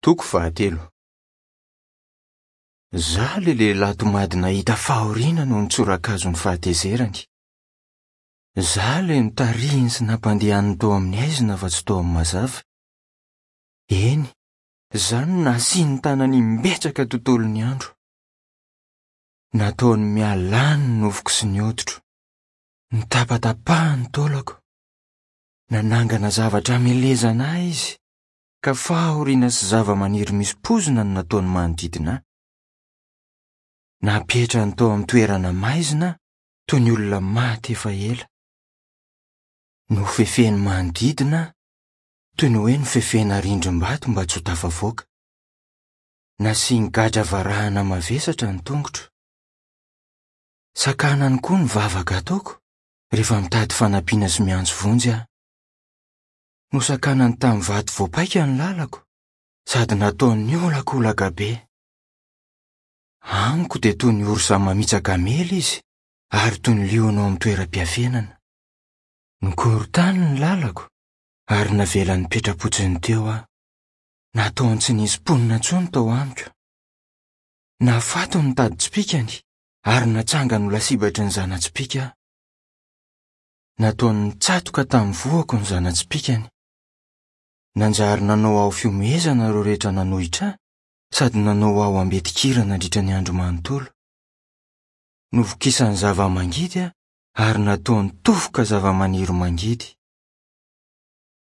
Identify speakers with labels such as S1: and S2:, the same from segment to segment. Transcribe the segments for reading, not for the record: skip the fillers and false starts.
S1: Toko fahatelo. Izaho ilay lehilahy tomady nahita fahoriana noho ny tsorakazon'ny fahatezerany. Izaho ilay notarihiny sy nampandehaniny tao amin'ny haizina fa tsy tao amin'ny mazava. Eny, izaho no nasiany tanany imbetsaka tontolon'ny andro. Nataony mihalany ny nofoko sy ny hoditro. Notapatapahany ny taolako. Nanangana zavatra hamelezana ahy izy, ka fahoriana sy zavamaniry misy poizina no nataony manodidina ahy. Napetrany tao amin'ny toerana maizina aho, toy ny olona maty efa ela. Nofefeny manodidina aho, toy ny hoe nofefena rindrim-bato mba tsy ho tafavoaka. Nasiany gadra varahana mavesatra ny tongotro. Sakanany koa ny vavaka ataoko rehefa mitady fanampiana sy miantso vonjy aho. Nosakanany tamin'ny vato voapaika ny lalako sady nataony niolakolaka be. Amiko dia toy ny orsa mamitsaka hamela izy ary toy ny liona ao amin'ny toeram-piafenana. Nokorontany ny lalako ary navelany nipetra-potsiny teo aho. Nataony tsy nisy mponina intsony tao amiko. Nahafaty ny tadin-tsipìkany ary natsangany ho lasibatry ny zana-tsipìka aho. Nataony nitsatoka tamin'ny vohoko ny zana-tsipìkany. Nanjary nanao aho fihomehezana ireo rehetra nanohitra ahy sady nanao aho ambetin-kira nandritra ny andro manontolo. Novokisany zava-mangidy aho ary nataony tofoka zava-maniry mangidy.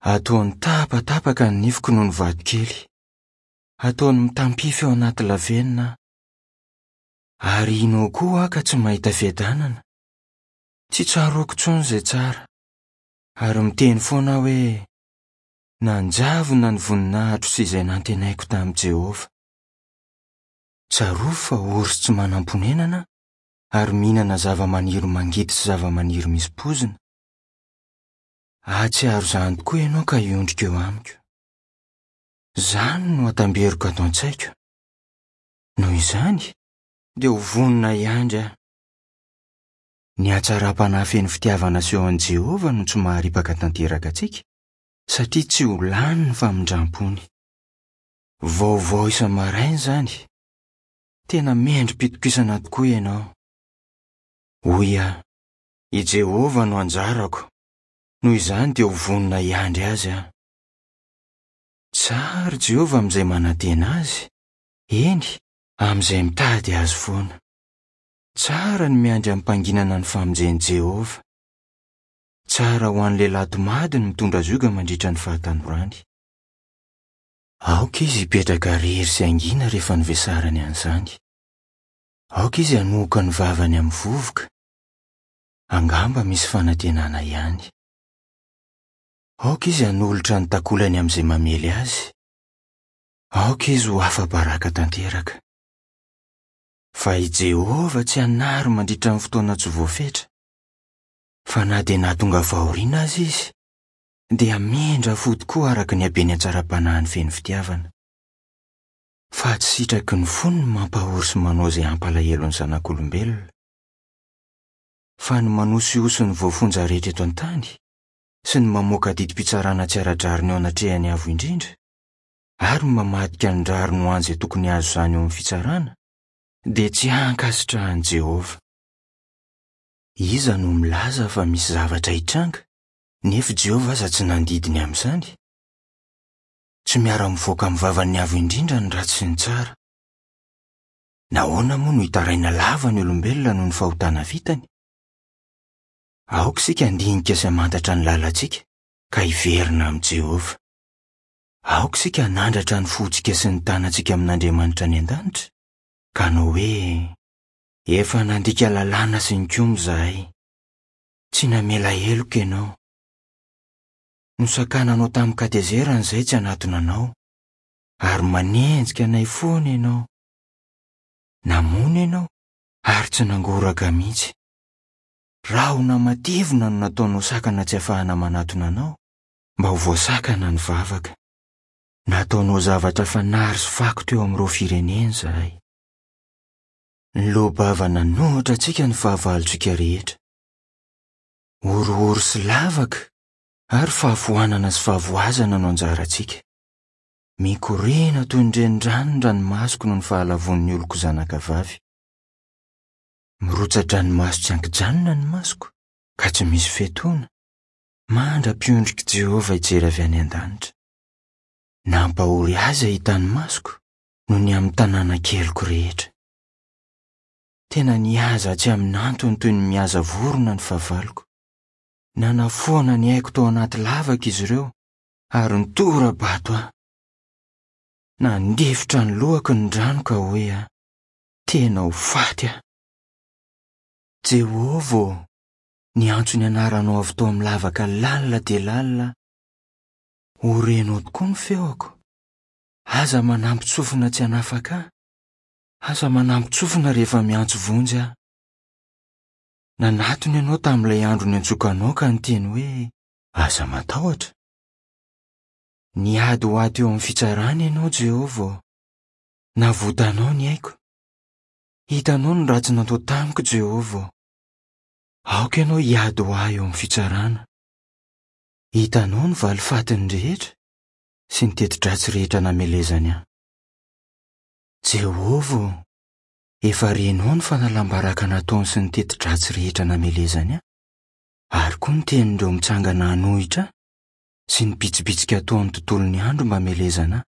S1: Ataony tapatapaka ny nifiko noho ny vatokely. Ataony mitampify ao anaty lavenona aho. Ary ino koa aho ka tsy mahita fiadanana. Tsy tsaroako intsony izay tsara. Ary miteny foana aho hoe, Nanjavona ny voninahitro sy izay nantenaiko tamin'i Jehovah. Tsarovy fa ory sy tsy manam-ponenana aho, ary mihinana zavamaniry mangidy sy zavamaniry misy poizina. Hahatsiaro izany tokoa ianao ka hiondrika eo amiko. Izany no atamberiko ato an-tsaiko. Noho izany, dia ho vonona hiandry aho. Ny hatsaram-panahy feno fitiavana asehon'i Jehovah no tsy maharipaka tanteraka antsika, satria tsy ho lany ny famindrampony. Vaovao isa-maraina izany. Tena mendri-pitokisana tokoa ianao. Hoy aho, I Jehovah no anjarako, noho izany dia ho vonona hiandry azy aho. Tsara Jehovah amin'izay manantena azy, eny, amin'izay mitady azy foana. Tsara ny miandry amim-panginana ny famonjen'i Jehovah. Tsara ho an'ny lehilahy tomady ny mitondra zioga mandritra ny fahatanorany. Aoka izy hipetraka irery sy hangina rehefa novesarany an'izany. Aoka izy hanohoka ny vavany amin'ny vovoka. Angamba misy fanantenana ihany. Aoka izy hanolotra ny takolany amin'izay mamely azy. Aoka izy ho afa-baraka tanteraka. Fa i Jehovah tsy hanary mandritra ny fotoana tsy voafetra. Fa na dia nahatonga fahoriana aza izy, dia hamindra fo tokoa araka ny haben'ny hatsaram-panahiny feno fitiavana. Fa tsy sitraky ny fony ny mampahory sy manao izay hampalahelo ny zanak'olombelona. Fa ny manosihosy ny voafonja rehetra eto an-tany, sy ny mamoaka didim-pitsarana tsy ara-drariny eo anatrehan'ny Avo Indrindra, ary ny mamadika ny rariny ho an'izay tokony hahazo izany eo amin'ny fitsarana, dia tsy hankasitrahan'i Jehovah. Iza no milaza fa misy zavatra hitranga, nefa i Jehovah aza tsy nandidy ny amin'izany? Tsy miara-mivoaka amin'ny vavan'ny Avo Indrindra ny ratsy sy ny tsara. Nahoana moa no hitaraina lava ny olombelona noho ny fahotana vitany? Aoka isika handinika sy hamantatra ny lalantsika, ka hiverina amin'i Jehovah. Aoka isika hanandratra ny fontsika sy ny tanantsika amin'Andriamanitra any an-danitra, ka hanao hoe, Efa nandika lalàna sy nikomy izahay. Tsy namela heloka ianao. Nosakananao tamin-katezerana izahay tsy hanatona anao, ary manenjika anay foana ianao. Namono ianao ary tsy nangoraka mihitsy. Rahona matevina no nataonao sakana tsy afahana manatona anao, mba ho voasakana ny vavaka. Nataonao zavatra fanary sy fako teo amin'ireo firenena izahay. Niloa-bava nanohitra antsika ny fahavalontsika rehetra. Horohoro sy lavaka ary fahafoanana sy fahavoazana no anjarantsika. Mikoriana toy ny renirano ny ranomasoko noho ny fahalavoan'ny oloko zanakavavy. Mirotsa-dranomaso tsy an-kijanona ny masoko, ka tsy misy fiatoana, mandra-piondrik'i Jehovah hijery avy any an-danitra. Nampahory azy hahita ny masoko noho ny amin'ny tanàna keliko rehetra. Tena nihaza tsy amin'antony toy ny mihaza vorona ny fahavaloko. Nanafoana ny aiko tao anaty lavaka izy ireo ary nitora-bato ahy. Nandefitra ny lohako ny rano ka hoe aho, tena ho faty aho. Jehovah ô, niantso ny anaranao avy tao amin'ny lavaka lalina dia lalina aho. Ho renao tokoa ny feoko. Aza manampin-tsofina tsy hanafaka ahy. Aza manampin-tsofina rehefa miantso vonjy aho. Nanatona ianao tamin'ilay andro niantsoako anao ka niteny hoe, Aza matahotra. Niady ho ahy teo amin'ny fitsarana ianao, Jehovah ô. Navotanao ny aiko. Hitanao ny ratsy natao tamiko, Jehovah ô. Aoka ianao hiady ho ahy eo amin'ny fitsarana. Hitanao ny valifatiny rehetra sy ny teti-dratsy rehetra namelezany ahy. Jehovah ô, efa renao ny fanalam-baraka nataony sy ny teti-dratsy rehetra namelezany ahy, ary koa ny tenin'ireo mitsangana hanohitra ahy sy ny bitsibitsika ataon'ny tontolon'ny andro mba hamelezana ahy.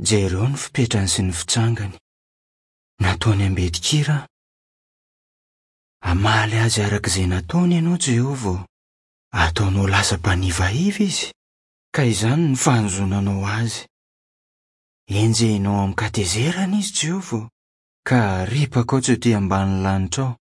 S1: Jereo ny fipetrany sy ny fitsangany. Nataony ambetin-kira aho. Hamaly azy araka izay nataony ianao, Jehovah ô. Ataonao lasa mpanivaiva izy, ka izany no fanozonanao azy. Enjehinao amin-katezerana izy, Jehovah ô, ka aripakao tsy ho ety ambanin'ny lanitrao.